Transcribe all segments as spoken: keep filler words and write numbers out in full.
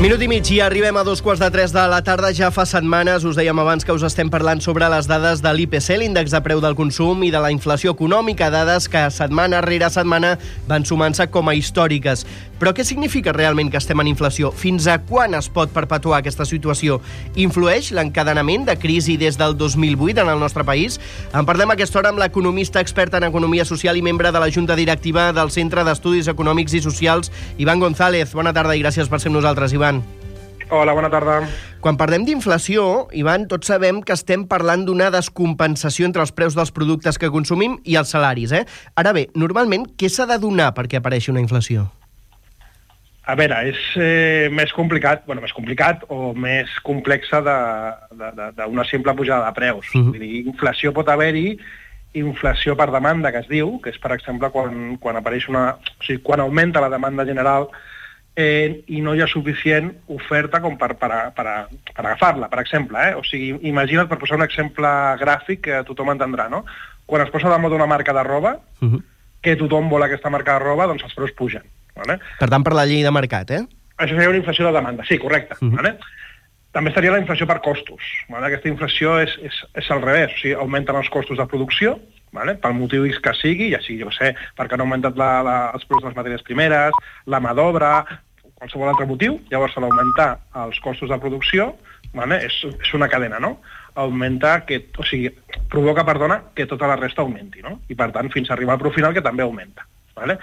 Minut i mig i arribem a dos quarts de tres de la tarda. Ja fa setmanes, us dèiem abans que us estem parlant sobre les dades de l'I P C, l'índex de preu del consum, i de la inflació econòmica, dades que setmana rere setmana van sumant-se com a històriques. Però què significa realment que estem en inflació? Fins a quan es pot perpetuar aquesta situació? Influeix l'encadenament de crisi des del dos mil vuit en el nostre país? En parlem a aquesta hora amb l'economista experta en economia social i membre de la Junta Directiva del Centre d'Estudis Econòmics i Socials, Ivan González. Bona tarda i gràcies per ser amb nosaltres, Ivan. Hola, bona tarda. Quan parlem d'inflació, Ivan, tots sabem que estem parlant d'una descompensació entre els preus dels productes que consumim i els salaris, eh? Ara bé, normalment, què s'ha de donar perquè apareixi una inflació? A veure, és eh, més complicat, bueno, més complicat o més complexa d'una simple pujada de preus. Uh-huh. Vull dir, inflació pot haver-hi, inflació per demanda, que es diu, que és, per exemple, quan, quan apareix una... O sigui, quan augmenta la demanda general Eh, i no hi ha suficient oferta com per, per, per, per agafar-la, per exemple. Eh? O sigui, imagina't, per posar un exemple gràfic que tothom entendrà, no? Quan es posa de moda una marca de roba, uh-huh. que tothom vol aquesta marca de roba, doncs els preus pugen. Vale? Per tant, per la llei de mercat, eh? Això seria una inflació de demanda, sí, correcte. Uh-huh. Vale? També estaria la inflació per costos. Vale? Aquesta inflació és, és, és al revés, o sigui, augmenten els costos de producció, vale? Pel motiu X que sigui, ja sigui, jo sé, perquè han augmentat la, la, els preus de les matèries primeres, la mà d'obra, qualsevol altre motiu, llavors a l'augmentar els costos de producció, vale? és, és una cadena, no? Augmenta, que, o sigui, provoca, perdona, que tota la resta augmenti, no? I per tant, fins a arribar al preu final, que també augmenta. Vale?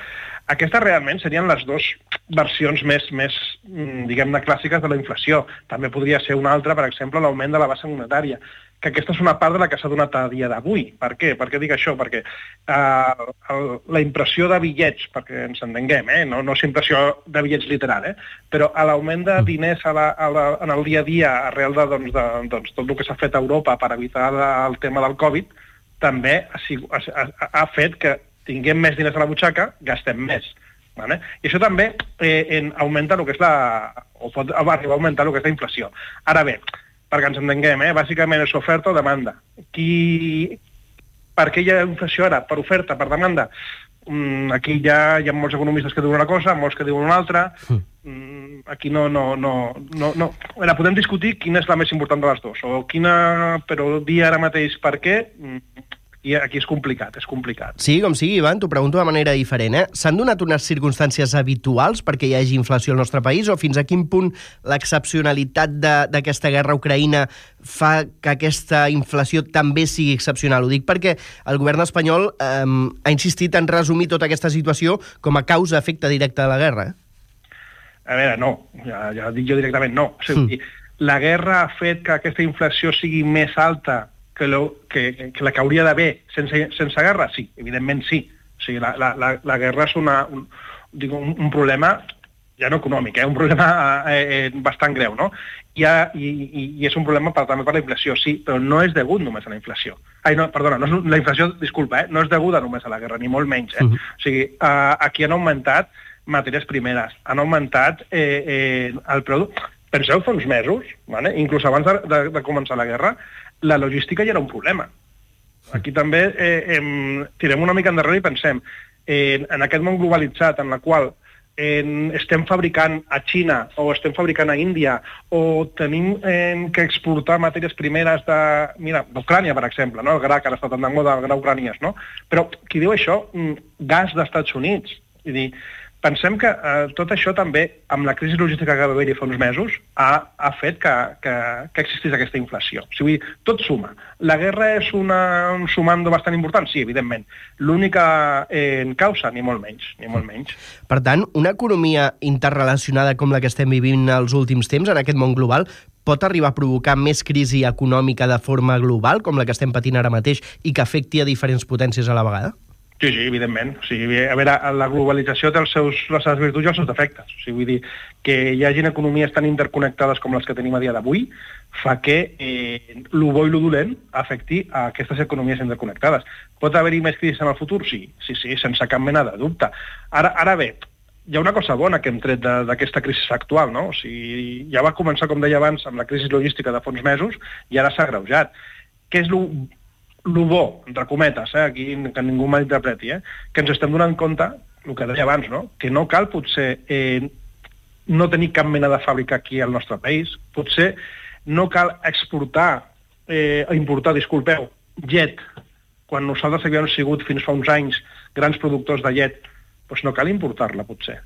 Aquestes realment serien les dues versions més, més diguem-ne, clàssiques de la inflació. També podria ser una altra, per exemple, l'augment de la base monetària, que aquesta és una part de la que s'ha donat a dia d'avui. Per què? Per què dic això? Perquè eh, el, la impressió de bitllets, perquè ens entenguem, eh? no, no és impressió de bitllets literal, eh? però a l'augment de diners a la, a la, en el dia a dia arrel de, doncs, de doncs, tot el que s'ha fet a Europa per evitar el tema del Covid, també ha, ha, ha fet que tinguem més diners a la butxaca, gastem més. Vale? I això també eh, en, augmenta el que és la... o pot arribar a augmentar el que és la inflació. Ara bé, perquè ens entenguem, eh? bàsicament és oferta o demanda. Qui... Per què hi ha inflació ara? Per oferta, per demanda? Mm, aquí ja hi ha molts economistes que diuen una cosa, molts que diuen una altra. Mm, aquí no... no, no, no, no. Ara, podem discutir quina és la més important de les dues, o quina... però dir ara mateix per què... Mm, I aquí és complicat, és complicat. Sí, com sigui, Ivan, t'ho pregunto de manera diferent. Eh? S'han donat unes circumstàncies habituals perquè hi hagi inflació al nostre país, o fins a quin punt l'excepcionalitat d'aquesta guerra a Ucraïna fa que aquesta inflació també sigui excepcional? Ho dic perquè el govern espanyol eh, ha insistit en resumir tota aquesta situació com a causa-efecte directe de la guerra. Eh? A veure, no, ja, ja dic jo directament no. O sigui, mm. La guerra ha fet que aquesta inflació sigui més alta Que, lo, que, que la que hauria d'haver sense, sense guerra? Sí, evidentment sí. O sigui, la, la, la, la guerra és una, un, dic, un, un problema ja no econòmic, eh? un problema eh, bastant greu, no? I, ha, i, i és un problema per, també per la inflació, sí, però no és degut només a la inflació. Ai, no, perdona, no és, la inflació, disculpa, eh? no és deguda només a la guerra, ni molt menys. Eh? Uh-huh. O sigui, eh, aquí han augmentat matèries primeres, han augmentat eh, eh, el preu... Penseu fa uns mesos, vale? Inclús abans de, de, de començar la guerra, la logística ja era un problema. Aquí també eh, eh, tirem una mica endarrere i pensem eh, en aquest món globalitzat en la qual eh, estem fabricant a Xina o estem fabricant a Índia o tenim eh, que exportar matèries primeres de, mira, d'Ucrània, per exemple, no? El gra, que ara està tan de moda, el gra ucranià, no? Però qui diu això? Gas d'Estats Units. Vull dir, pensem que eh, tot això també, amb la crisi logística que va haver-hi fa uns mesos, ha, ha fet que, que, que existís aquesta inflació. O sigui, tot suma. La guerra és una, un sumando bastant important? Sí, evidentment. L'única eh, causa, ni molt menys, ni molt menys. Per tant, una economia interrelacionada com la que estem vivint els últims temps, en aquest món global, pot arribar a provocar més crisi econòmica de forma global, com la que estem patint ara mateix, i que afecti a diferents potències a la vegada? Sí, sí, evidentment. O sigui, a veure, la globalització té els seus, les seves virtuts i els seus defectes. O sigui, vull dir, que hi hagi economies tan interconnectades com les que tenim a dia d'avui fa que eh, lo bo i lo dolent afecti a aquestes economies interconnectades. Pot haver-hi més crisi en el futur? Sí, sí, sí, sense cap mena de dubte. Ara, ara bé, hi ha una cosa bona que hem tret d'aquesta crisi actual, no? O sigui, ja va començar, com deia abans, amb la crisi logística de fa uns mesos i ara s'ha agreujat. Què és lo el bo, entre cometes, eh, aquí que ningú malinterpreti, eh, que ens estem donant compte, el que deia abans, no? Que no cal potser eh, no tenir cap mena de fàbrica aquí al nostre país. Potser no cal exportar, eh, importar, disculpeu, llet, quan nosaltres havíem sigut fins fa uns anys grans productors de llet, doncs no cal importar-la, potser.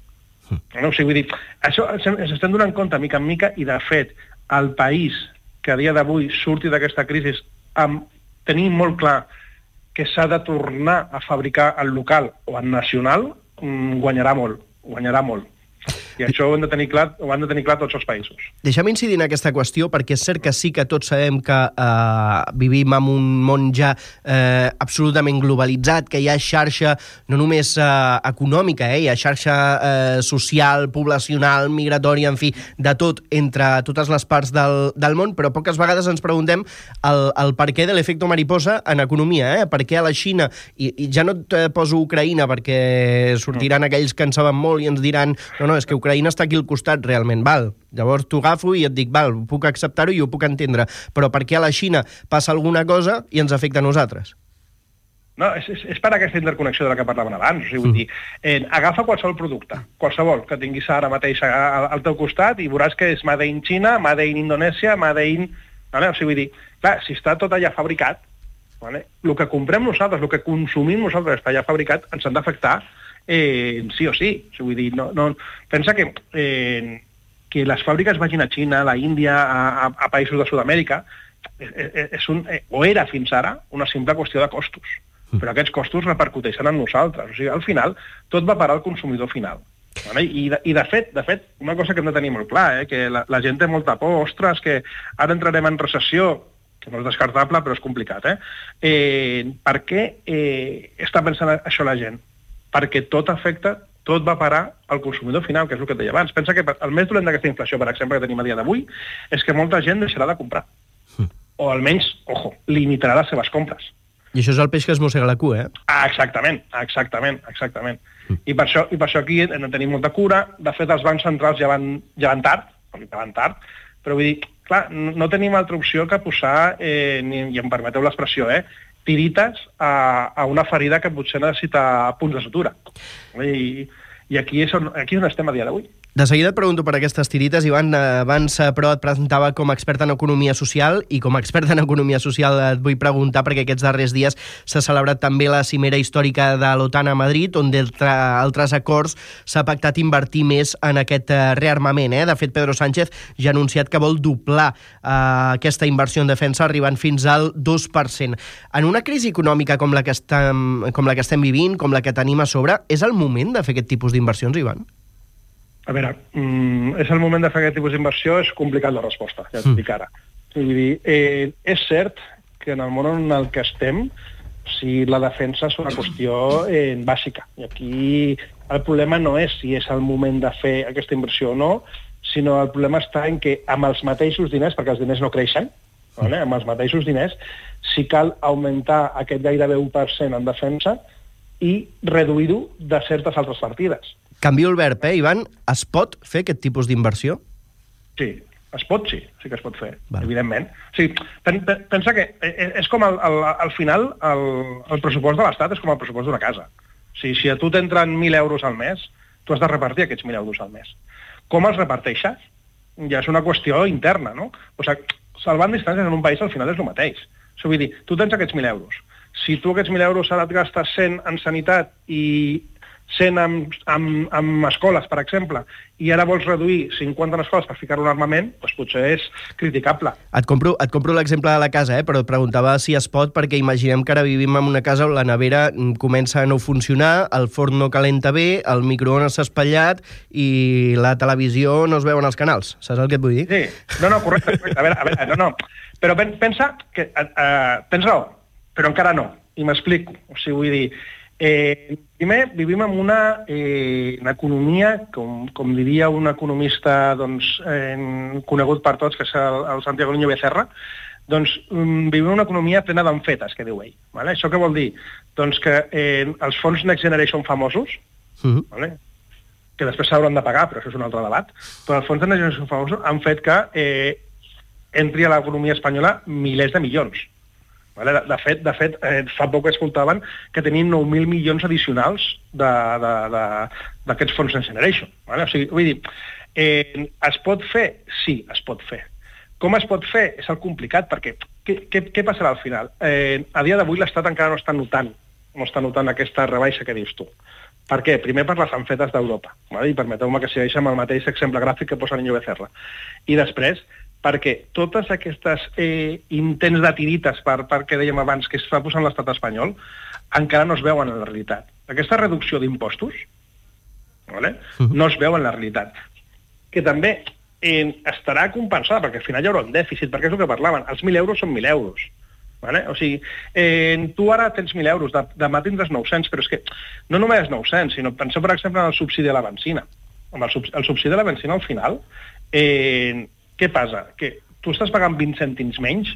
No? O sigui, vull dir, això ens estem donant compte mica en mica i, de fet, el país que a dia d'avui surti d'aquesta crisi amb tenir molt clar que s'ha de tornar a fabricar en local o en nacional, guanyarà molt, guanyarà molt. I això ho han de tenir clar, ho han de tenir clar tots els països. Deixa'm incidir en aquesta qüestió, perquè és cert que sí que tots sabem que eh, vivim en un món ja eh, absolutament globalitzat, que hi ha xarxa no només eh, econòmica, eh, hi ha xarxa eh, social, poblacional, migratòria, en fi, de tot entre totes les parts del, del món, però poques vegades ens preguntem el, el per què de l'efecte mariposa en economia, eh? Per què a la Xina, i, i ja no et poso Ucraïna perquè sortiran aquells que en saben molt i ens diran no, no, és que Ucraïna està aquí al costat realment, val? Llavors t'ho agafo i et dic, val, puc acceptar-ho i ho puc entendre, però per què a la Xina passa alguna cosa i ens afecta a nosaltres? No, és, és, és per aquesta interconnexió de la que parlaven abans. O sigui, vull dir, eh, agafa qualsevol producte, qualsevol que tinguis ara mateix al, al teu costat i veuràs que és made in Xina, made in Indonèsia, made in... Vale? O sigui, vull dir, clar, si està tot allà fabricat, vale? El que comprem nosaltres, el que consumim nosaltres està allà fabricat, ens han d'afectar Eh, sí o sí. O sigui, vull dir, no, no, pensa que, eh, que les fàbriques vagin a Xina, a la Índia, a, a, a països de Sud-amèrica, és, és un, eh, o era fins ara una simple qüestió de costos. Però aquests costos repercuteixen en nosaltres. O sigui, al final, tot va parar al consumidor final. Vale? I, de, I de fet, de fet, una cosa que hem de tenir molt clar, eh, que la, la gent té molta por, ostres, que ara entrarem en recessió, que no és descartable, però és complicat. Eh? Eh, per què eh, està pensant això la gent? Perquè tot afecta, tot va parar al consumidor final, que és el que et deia abans. Pensa que el més dolent d'aquesta inflació, per exemple, que tenim a dia d'avui, és que molta gent deixarà de comprar. Mm. O almenys, ojo, limitarà les seves compres. I això és el peix que es mossega la cua, eh? Ah, exactament, exactament, exactament. Mm. I, per això, I per això aquí hem de tenir molta cura. De fet, els bancs centrals ja van, ja van tard, ja van tard, però vull dir, clar, no, no tenim altra opció que posar, eh, ni, i em permeteu l'expressió, eh, tirites a, a una ferida que potser necessita punts de sutura. I, i aquí, és on, aquí és on estem a dia d'avui. De seguida et pregunto per aquestes tirites, Ivan. Abans, però, et presentava com a expert en economia social, i com a expert en economia social et vull preguntar, perquè aquests darrers dies s'ha celebrat també la cimera històrica de l'OTAN a Madrid, on d'altre altres acords s'ha pactat invertir més en aquest rearmament. Eh? De fet, Pedro Sánchez ja ha anunciat que vol doblar eh, aquesta inversió en defensa, arribant fins al dos per cent. En una crisi econòmica com la que estem, com la que estem vivint, com la que tenim a sobre, és el moment de fer aquest tipus d'inversions, Ivan? A veure, mm, és el moment de fer aquest tipus d'inversió, és complicat la resposta, ja t'ho dic ara. Vull dir, eh, és cert que en el món en el que estem, si la defensa és una qüestió eh, bàsica. I aquí el problema no és si és el moment de fer aquesta inversió o no, sinó el problema està en que amb els mateixos diners, perquè els diners no creixen, vale? Amb els mateixos diners, si cal augmentar aquest gairebé un per cent en defensa i reduir-ho de certes altres partides. Canvio el verb, eh, Ivan? Es pot fer aquest tipus d'inversió? Sí, es pot, sí, sí que es pot fer, Val. evidentment. O sigui, pen, pen, pensa que és com el, el, al final el, el pressupost de l'Estat és com el pressupost d'una casa. O sigui, si a tu t'entren mil euros al mes, tu has de repartir aquests mil euros al mes. Com els reparteixes? Ja és una qüestió interna, no? O sigui, salvant distàncies en un país al final és el mateix. O sigui, vull dir, tu tens aquests mil euros. Si tu aquests mil euros ara et gastes cent en sanitat i cent amb, amb, amb escoles, per exemple, i ara vols reduir cinquanta en escoles per ficar un armament, doncs potser és criticable. Et compro, et compro l'exemple de la casa, eh? Però et preguntava si es pot, perquè imaginem que ara vivim en una casa on la nevera comença a no funcionar, el forn no calenta bé, el microones s'ha espatllat i la televisió no es veuen els canals. Saps el que et vull dir? Sí, no, no, correcte, correcte. A veure, a veure, no, no. Però pensa que... Uh, tens raó, però encara no. I m'explico. O sigui, vull dir... Eh, primer, vivim en una, eh, una economia, com, com diria un economista doncs, eh, conegut per tots, que és el, el Santiago Niño Becerra, doncs um, vivim en una economia plena d'enfetes, que diu ell. Vale? Això què vol dir? Doncs que eh, els fons Next Generation famosos, uh-huh. vale? que després s'hauran de pagar, però això és un altre debat, però els fons Next Generation famosos han fet que eh, entri a l'economia espanyola milers de milions. Vale? De, de fet, de fet eh, fa poc escoltaven que tenien nou mil milions addicionals d'aquests fons Next Generation. Vale? O sigui, vull dir, Eh, es pot fer? Sí, es pot fer. Com es pot fer? És el complicat, perquè què, què, què passarà al final? Eh, a dia d'avui l'Estat encara no està notant, no està notant aquesta rebaixa que dius tu. Per què? Primer per les anfetes d'Europa, vale? I permeteu-me que segueixi amb el mateix exemple gràfic que posa Niño Becerra. I després, perquè totes aquestes eh, intents de tirites, per, per què dèiem abans, que es fa posant l'estat espanyol, encara no es veuen en la realitat. Aquesta reducció d'impostos, vale? Uh-huh. No es veu en la realitat. Que també eh, estarà compensada, perquè al final hi haurà un dèficit, perquè és el que parlaven, els mil euros són mil euros. Vale? O sigui, eh, tu ara tens mil euros, de, demà tindràs nou-cents, però és que no només nou-cents, sinó penseu, per exemple, en el subsidi de la benzina. Amb el, sub, el subsidi de la benzina, al final, eh, què passa? Que tu estàs pagant vint cèntims menys?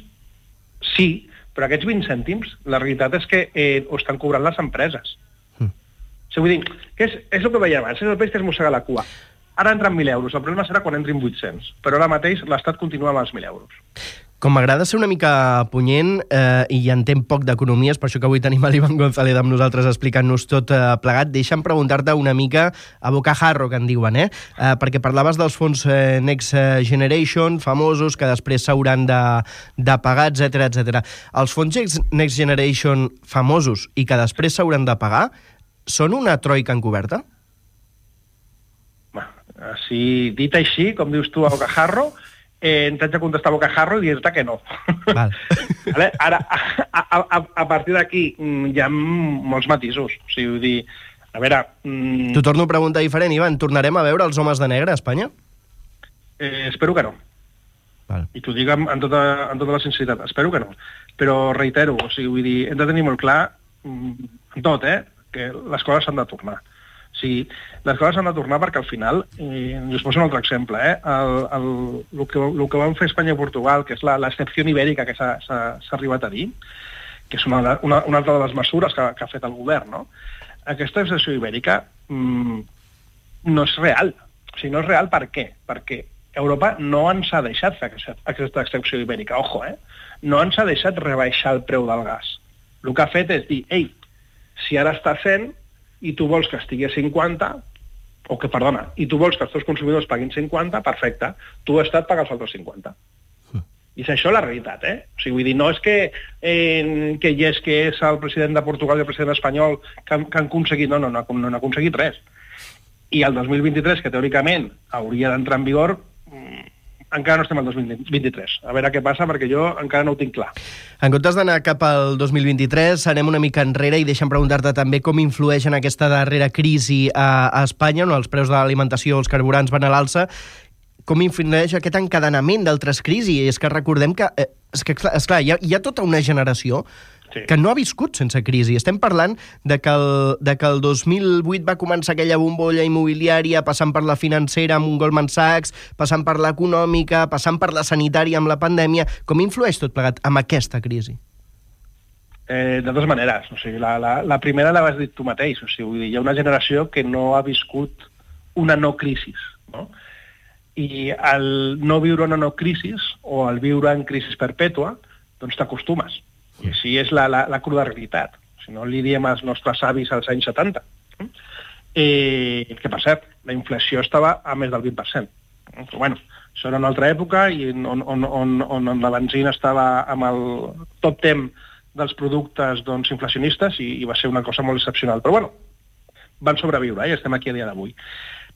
Sí, però aquests vint cèntims, la realitat és que eh, ho estan cobrant les empreses. Mm. O sigui, vull dir, que és, és el que veiem abans, és el peix que es mossega la cua. Ara entren mil euros, el problema serà quan entrin vuit-cents, però ara mateix l'Estat continua amb els mil euros. Com m'agrada ser una mica punyent eh, i entenc poc d'economia, és per això que avui tenim l'Ivan González amb nosaltres explicant-nos tot eh, plegat. Deixa'm preguntar-te una mica a bocajarro, que en diuen, eh? eh? Perquè parlaves dels fons eh, Next Generation, famosos, que després s'hauran de, de pagar, etcètera, etcètera. Els fons Next Generation famosos i que després s'hauran de pagar, són una troika encoberta? Si dit així, com dius tu a bocajarro, eh, t'haig de contestar a bocajarro i dir-te que no. Val. Vale? Ara, a, a, a partir d'aquí hi ha molts matisos. O sigui, vull dir, a veure... Mm... T'ho torno a preguntar diferent, Ivan. Tornarem a veure els homes de negre a Espanya? Eh, espero que no. Val. I t'ho dic amb, amb, tota, amb tota la sinceritat. Espero que no. Però reitero, o sigui, vull dir, hem de tenir molt clar, en tot, eh, que les coses s'han de tornar. O sigui, les coses han de tornar perquè al final, eh, us poso un altre exemple, eh, el, el, el, que, el que van fer Espanya i Portugal, que és l'excepció ibèrica que s'ha arribat a dir, que és una, una, una altra de les mesures que, que ha fet el govern, no? Aquesta excepció ibèrica mmm, no és real. O sigui, no és real per què? Perquè Europa no ens ha deixat fer aquesta, aquesta excepció ibèrica, ojo, eh? No ens ha deixat rebaixar el preu del gas. El que ha fet és dir, ei, si ara està cent i tu vols que estigui a cinquanta, o que, perdona, i tu vols que els teus consumidors paguin cinquanta, perfecte, tu, Estat, paga els altres cinquanta. Mm. I és això la realitat, eh? O sigui, vull dir, no és que, eh, que hi és que és el president de Portugal i el president espanyol que, que han aconseguit, no, no, no, no han aconseguit res. I el dos mil vint-i-tres, que teòricament hauria d'entrar en vigor, encara no estem al dos mil vint-i-tres. A veure què passa, perquè jo encara no ho tinc clar. En comptes d'anar cap al dos mil vint-i-tres, anem una mica enrere i deixa'm preguntar-te també com influeix en aquesta darrera crisi a, a Espanya, on els preus de l'alimentació, els carburants van a l'alça. Com influeix aquest encadenament d'altres crisis? I és que recordem que, eh, és que esclar, hi ha, hi ha tota una generació sí. que no ha viscut sense crisi. Estem parlant de que, el, de que el dos mil vuit va començar aquella bombolla immobiliària, passant per la financera amb un Goldman Sachs, passant per l'econòmica, passant per la sanitària amb la pandèmia. Com influeix tot plegat amb aquesta crisi? Eh, de dues maneres. O sigui, la, la, la primera la vas dir tu mateix. O sigui, vull dir, hi ha una generació que no ha viscut una no crisi, no? I al no viure una no crisi, o al viure en crisi perpètua, doncs t'acostumes. I així és la, la, la cruda realitat. Si no li diem als nostres avis als anys setanta. Eh, que, per cert, la inflació estava a més del vint per cent. Però, bueno, això era una altra època i on, on, on, on la benzina estava amb el top ten dels productes doncs, inflacionistes i, i va ser una cosa molt excepcional. Però, bueno, van sobreviure eh, i estem aquí a dia d'avui.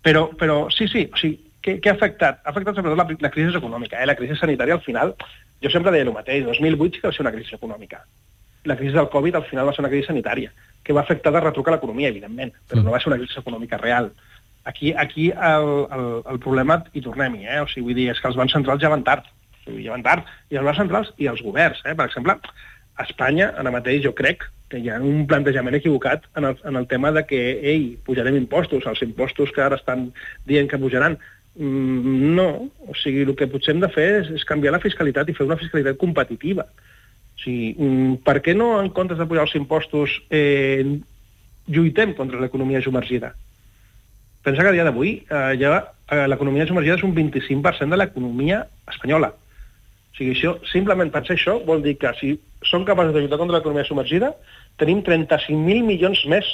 Però, però sí, sí, o sigui, què, què ha afectat? Ha afectat sobretot la, la crisi econòmica. Eh? La crisi sanitària, al final, jo sempre deia el mateix, dos mil vuit sí que va ser una crisi econòmica. La crisi del Covid, al final, va ser una crisi sanitària, que va afectar de retruc a l'economia, evidentment, però no va ser una crisi econòmica real. Aquí, aquí el, el, el problema, i tornem-hi, eh? O sigui, vull dir, és que els bancs centrals ja van tard. O sigui, ja van tard. I els bancs centrals i els governs. Eh? Per exemple, a Espanya, ara mateix, jo crec que hi ha un plantejament equivocat en el, en el tema de que, ei, pujarem impostos, els impostos que ara estan dient que pujaran. No, o sigui, el que potser hem de fer és, és canviar la fiscalitat i fer una fiscalitat competitiva. O sigui, per què no, en comptes de pujar els impostos, eh, lluitem contra l'economia submergida? Pensa que a dia d'avui eh, ja eh, l'economia submergida és un vint-i-cinc per cent de l'economia espanyola. O sigui, això, simplement pensar això vol dir que si som capaços de lluitar contra l'economia submergida, tenim trenta-cinc mil milions més.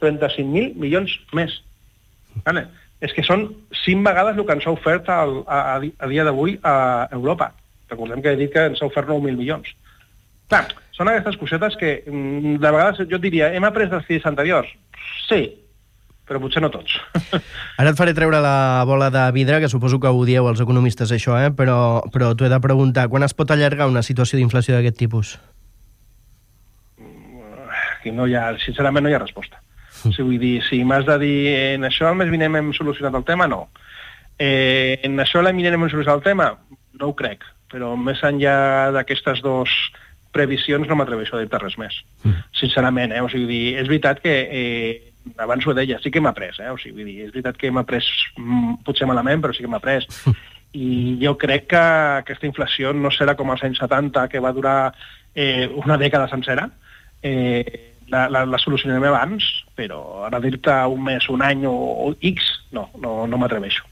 trenta-cinc mil milions més. Vale? és que són cinc vegades el que ens ha ofert a, a, a dia d'avui a Europa. Recordem que he dit que ens ha ofert nou mil milions. Clar, són aquestes cosetes que, de vegades, jo et diria, hem après dels fills anteriors? Sí, però potser no tots. Ara et faré treure la bola de vidre, que suposo que ho dieu els economistes, això, eh? però, però t'ho he de preguntar. Quan es pot allargar una situació d'inflació d'aquest tipus? Aquí no hi ha, sincerament no hi ha resposta. Mm. Si vull dir, si m'has de dir en això el mes vinent hem solucionat el tema, no. Eh, en això l'any vinent hem solucionat el tema? No ho crec, però més enllà d'aquestes dues previsions no m'atreveixo a dir-te res més. Mm. Sincerament, eh? O sigui, és veritat que eh, abans ho deia, sí que hem après, eh? O sigui, vull dir, és veritat que hem après mm, potser malament, però sí que hem après. I jo crec que aquesta inflació no serà com als anys setanta, que va durar eh, una dècada sencera. Eh, la, la, la solucionarem abans, però ara dir-te un mes, un any o, o X, no, no, no m'atreveixo.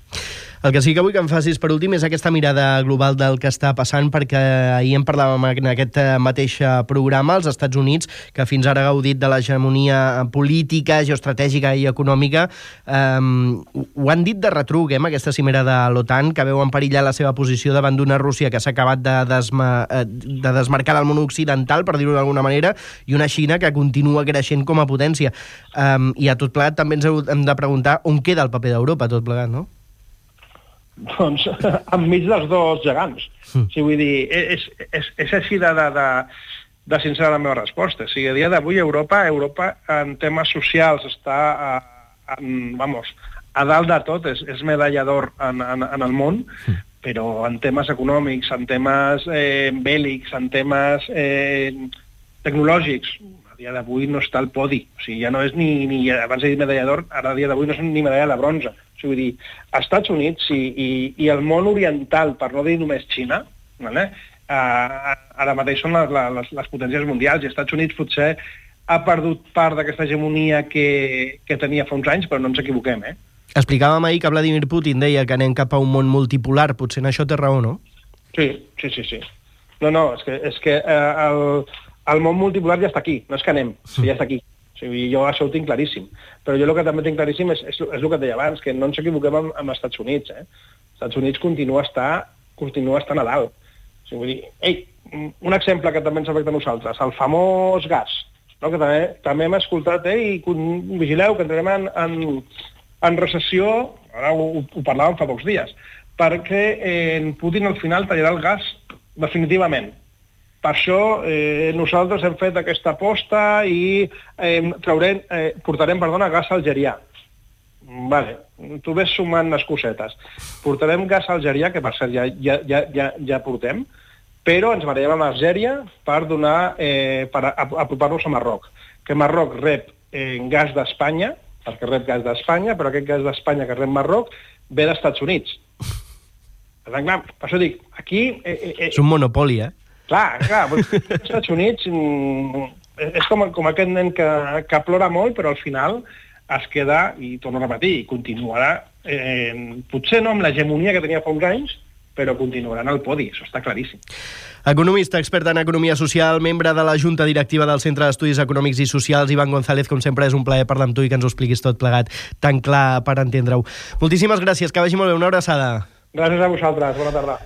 El que sí que vull que em facis per últim és aquesta mirada global del que està passant, perquè ahir en parlàvem en aquest mateix programa, als Estats Units, que fins ara ha gaudit de l'hegemonia política, geoestratègica i econòmica, um, ho han dit de retruc, eh, amb aquesta cimera de l'OTAN, que veu en perillar la seva posició davant d'una Rússia que s'ha acabat de, desma, de desmarcar del món occidental, per dir-ho d'alguna manera, i una Xina que continua creixent com a potència. Um, I a tot plegat també ens hem de preguntar on queda el paper d'Europa, tot plegat, no? Doncs enmig dels dos gegants. Mm. O sigui, vull dir, és, és, és així de, de, de, de sincera la meva resposta. O sigui, a dia d'avui Europa, Europa en temes socials està a, en, vamos, a dalt de tot, és, és medalla d'or en, en, en el món, mm. però en temes econòmics, en temes eh, bèl·lics, en temes eh, tecnològics, a dia d'avui no està al podi. O sigui, ja no és ni, ni abans he dit medalla d'or, ara a dia d'avui no és ni medalla de bronze. O sigui, vull dir, als Estats Units i, i, i el món oriental, per no dir només Xina, vale? uh, ara mateix són les, les, les potències mundials, i als Estats Units potser ha perdut part d'aquesta hegemonia que, que tenia fa uns anys, però no ens equivoquem, eh? Explicàvem ahir que Vladimir Putin deia que anem cap a un món multipolar, potser en això té raó, no? Sí, sí, sí, sí. No, no, és que, és que uh, el, el món multipolar ja està aquí, no és que anem, sí. Ja està aquí. O sigui, jo això ho tinc claríssim. Però jo el que també tinc claríssim és, és, és el que et deia abans, que no ens equivoquem amb, amb els Estats Units. Eh? Els Estats Units continua a estar, continua a estar a dalt. O sigui, vull dir, ei, un exemple que també ens afecta a nosaltres, el famós gas, no? Que també, també hem escoltat, eh, i vigileu que entrem en, en, en recessió, ara ho, ho parlàvem fa pocs dies, perquè eh, Putin al final tallarà el gas definitivament. Per això eh, nosaltres hem fet aquesta aposta i eh, traurem, eh, portarem perdona, gas algerià. Vale, tu ves sumant les cosetes. Portarem gas algerià, que per cert ja, ja, ja, ja, ja portem, però ens barallem amb Algèria per, donar, eh, per apropar-nos a Marroc. Que Marroc rep eh, gas d'Espanya, perquè rep gas d'Espanya, però aquest gas d'Espanya que rep Marroc ve dels Estats Units. Per tant, clar, per això dic, aquí... Eh, eh, és un monopoli, eh? Clar, clar, als Estats Units mm, és com, com aquest nen que, que plora molt, però al final es queda, i torno a repetir, i continuarà, eh, potser no amb l'hegemonia que tenia fa uns anys, però continuarà en el podi, això està claríssim. Economista, expert en economia social, membre de la Junta Directiva del Centre d'Estudis Econòmics i Socials, Ivan González, com sempre és un plaer parlar amb tu i que ens ho expliquis tot plegat tan clar per entendre-ho. Moltíssimes gràcies, que vagi molt bé, una abraçada. Gràcies a vosaltres, bona tarda.